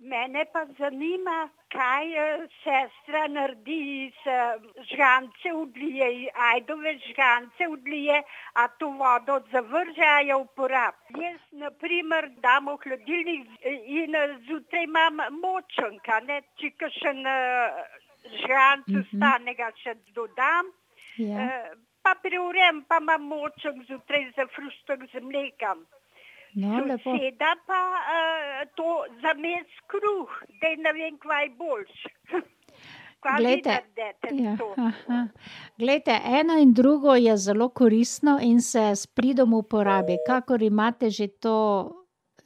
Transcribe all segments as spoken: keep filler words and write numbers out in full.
Mene pa zanima, kaj eh, sestra naredi s žgance vlije, ajdove žgance vlije, a to vodo zavrže, a jo uporabi. Jaz na primer dam v hladilnik in zjutraj imam močnik, a ne, če kakšen eh, žganc ostane, ga še dodam. Ja. Eh, pa prevrem, pa imam močnik zjutraj za fruštok z mlekom. No, lepo. Soseda pa uh, to zames kruh, da ne vem, kva je boljš. Kva vi Glejte, naredite ja, to? aha. Glejte, eno in drugo je zelo koristno in se s pridom uporabi. Kakor imate že to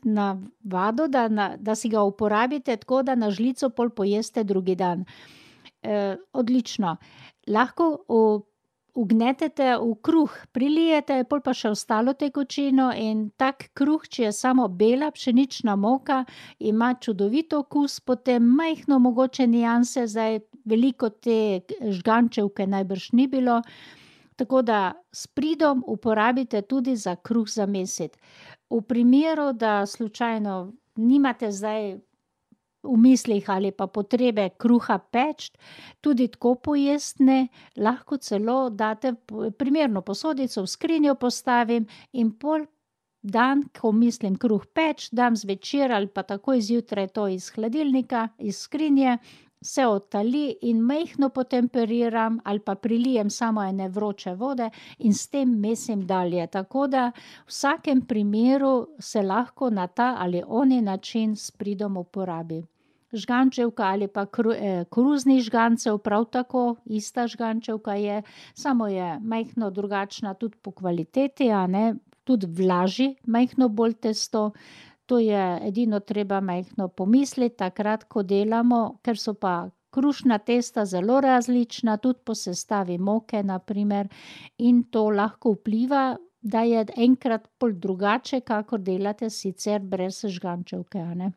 navado, da, na, da si ga uporabite tako, da na žlico pol pojeste drugi dan. E, odlično. Lahko v vgnetete v kruh, prilijete, pol pa še ostalo tekočino in tak kruh, če je samo bela pšenična moka, ima čudovit okus, potem majhno mogoče nianse, zdaj veliko te žgančevke najbrž ni bilo, tako da s pridom uporabite tudi za kruh za mesiti. V primeru, da slučajno nimate zdaj v mislih ali pa potrebe kruha peči, tudi tako pojesti, lahko celo date primerno posodico, v skrinjo postavim in pol dan, ko mislim kruh peči, dam zvečer ali pa takoj zjutraj to iz hladilnika, iz skrinje, se odtali in majhno potemperiram ali pa prilijem samo ene vroče vode in s tem mesim dalje. Tako da v vsakem primeru se lahko na ta ali oni način s pridom uporabi. Žgančevka ali pa kru, eh, koruznih žgancev prav tako, ista žgančevka je, samo je majhno drugačna tudi po kvaliteti, a ne, tudi vlaži majhno bolj testo. To je edino treba majhno pomisliti takrat, ko delamo, ker so pa krušna testa zelo različna, tudi po sestavi moke na primer, in to lahko vpliva, da je enkrat pol drugače, kakor delate sicer brez žgančevke, a ne.